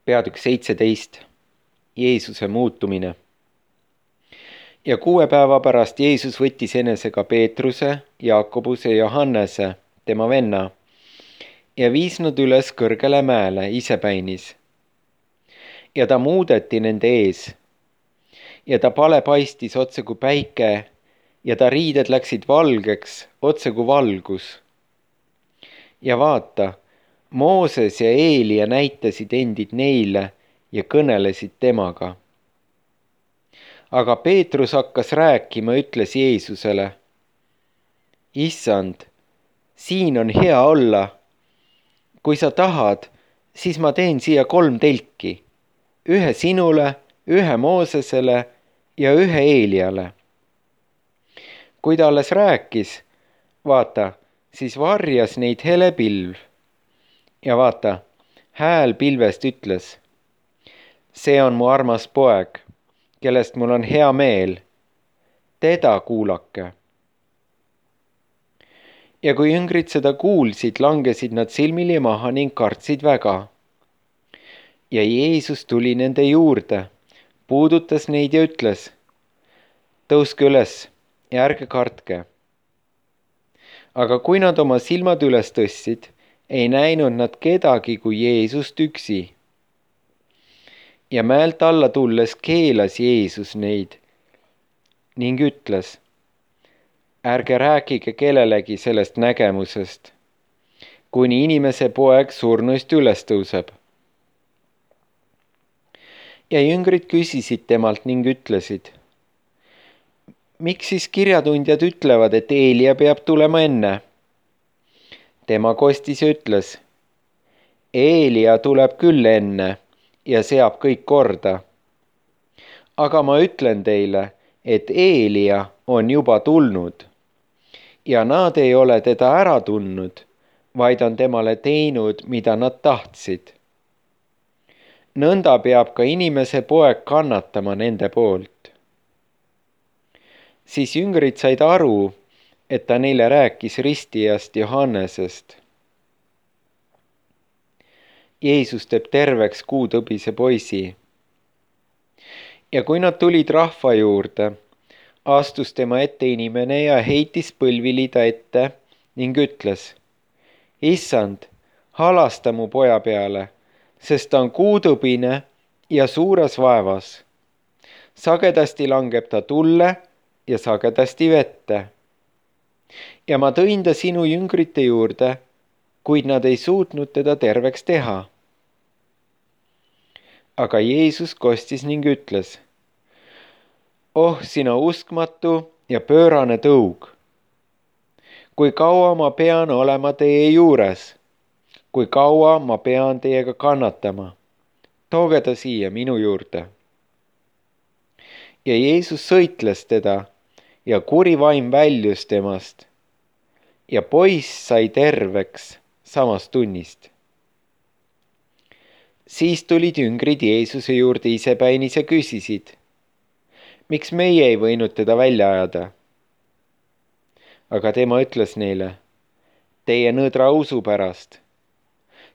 Peatükk 17. Jeesuse muutumine. Ja 6 päeva pärast Jeesus võttis enesega Peetruse, Jaakobuse ja Johannese, tema venna, ja viis nad üles kõrgele mäele isepäinis. Ja ta muudeti nende ees. Ja ta pale paistis otse kui päike ja ta riided läksid valgeks otse kui valgus. Ja vaata, Mooses ja Eelia näitasid endid neile ja kõnelesid temaga. Aga Peetrus hakkas rääkima, ütles Jeesusele: Issand, siin on hea olla. Kui sa tahad, siis ma teen siia 3 telki, ühe sinule, ühe Moosesele ja ühe Eeliale. Kui ta alles rääkis, vaata, siis varjas neid hele pilv. Ja vaata, hääl pilvest ütles: see on mu armas poeg, kellest mul on hea meel. Teda kuulake. Ja kui jüngrid seda kuulsid, langesid nad silmili maha ning kartsid väga. Ja Jeesus tuli nende juurde, puudutas neid ja ütles: tõuske üles ja ärge kartke. Aga kui nad oma silmad üles tõstsid, ei näinud nad kedagi kui Jeesust üksi. Ja mäelt alla tulles keelas Jeesus neid ning ütles: ärge rääkige kellelegi sellest nägemusest, kuni Inimese poeg surnuist üles tõuseb. Ja jüngrid küsisid temalt ning ütlesid: miks siis kirjatundjad ütlevad, et Eelia peab tulema enne? Tema kostis ja ütles: Eelia tuleb küll enne ja seab kõik korda. Aga ma ütlen teile, et Eelia on juba tulnud ja nad ei ole teda ära tundnud, vaid on temale teinud, mida nad tahtsid. Nõnda peab ka Inimese poeg kannatama nende poolt. Siis jüngrid said aru, et ta neile rääkis ristijast Johannesest. Jeesus teeb terveks 6-tõbise poisi. Ja kui nad tulid rahva juurde, astus tema ette inimene ja heitis põlvili ta ette ning ütles: Issand, halasta mu poja peale, sest ta on 6-tõbine ja suures vaevas. Sagedasti langeb ta tulle ja sagedasti vette. Ja ma tõin ta sinu jüngrite juurde, kuid nad ei suutnud teda terveks teha. Aga Jeesus kostis ning ütles: oh, sina uskmatu ja pöörane tõug! Kui kaua ma pean olema teie juures? Kui kaua ma pean teiega kannatama? Tooge ta siia minu juurde. Ja Jeesus sõitles teda ja kuri vaim väljus temast. Ja poiss sai terveks samast tunnist. Siis tulid jüngrid Jeesuse juurde isepäinis ja küsisid: miks meie ei võinud teda välja ajada? Aga tema ütles neile: teie nõdra usu pärast.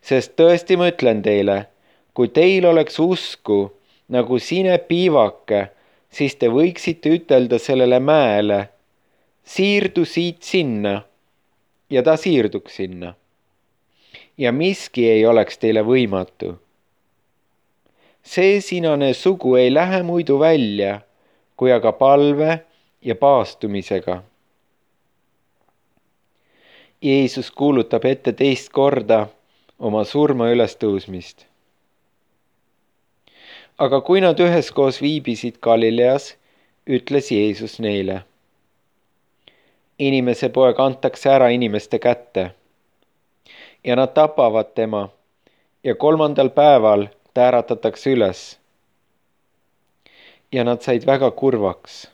Sest tõesti ma ütlen teile, kui teil oleks usku nagu sinepiivake, siis te võiksite ütelda sellele mäele: siirdu siit sinna, ja ta siirduks sinna. Ja miski ei oleks teile võimatu. See sinane sugu ei lähe muidu välja, kui aga palve ja paastumisega. Jeesus kuulutab ette 2. korda oma surma ülestõusmist. Aga kui nad üheskoos viibisid Galileas, ütles Jeesus neile: Inimese poeg antakse ära inimeste kätte ja nad tapavad tema ja 3. päeval ta äratatakse üles. Ja nad said väga kurvaks.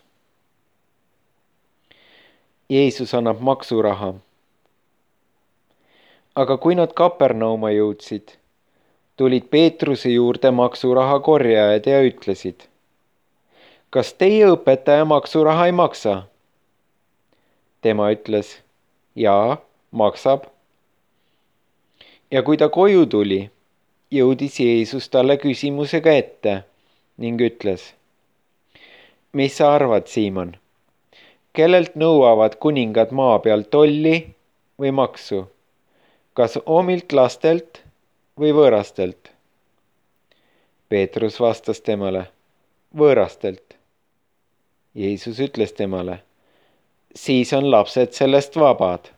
Jeesus annab maksuraha. Aga kui nad Kapernauma jõudsid, tulid Peetruse juurde maksuraha korjajad ja ütlesid: kas teie õpetaja maksuraha ei maksa? Tema ütles: jaa, maksab. Ja kui ta koju tuli jõudis Jeesus talle küsimusega ette ning ütles: mis sa arvad, Siimon? Kellelt nõuavad kuningad maa peal tolli või maksu? Kas omilt lastelt või võõrastelt? Peetrus vastas temale: võõrastelt. Jeesus ütles temale: siis on lapsed sellest vabad.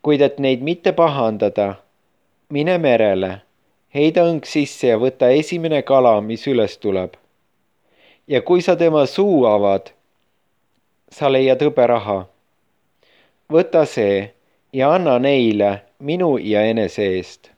Kuid et neid mitte pahandada, mine merele, heida õng sisse ja võta esimene kala, mis üles tuleb. Ja kui sa tema suu avad, sa leiad hõberaha. Võta see ja anna neile minu ja enese eest.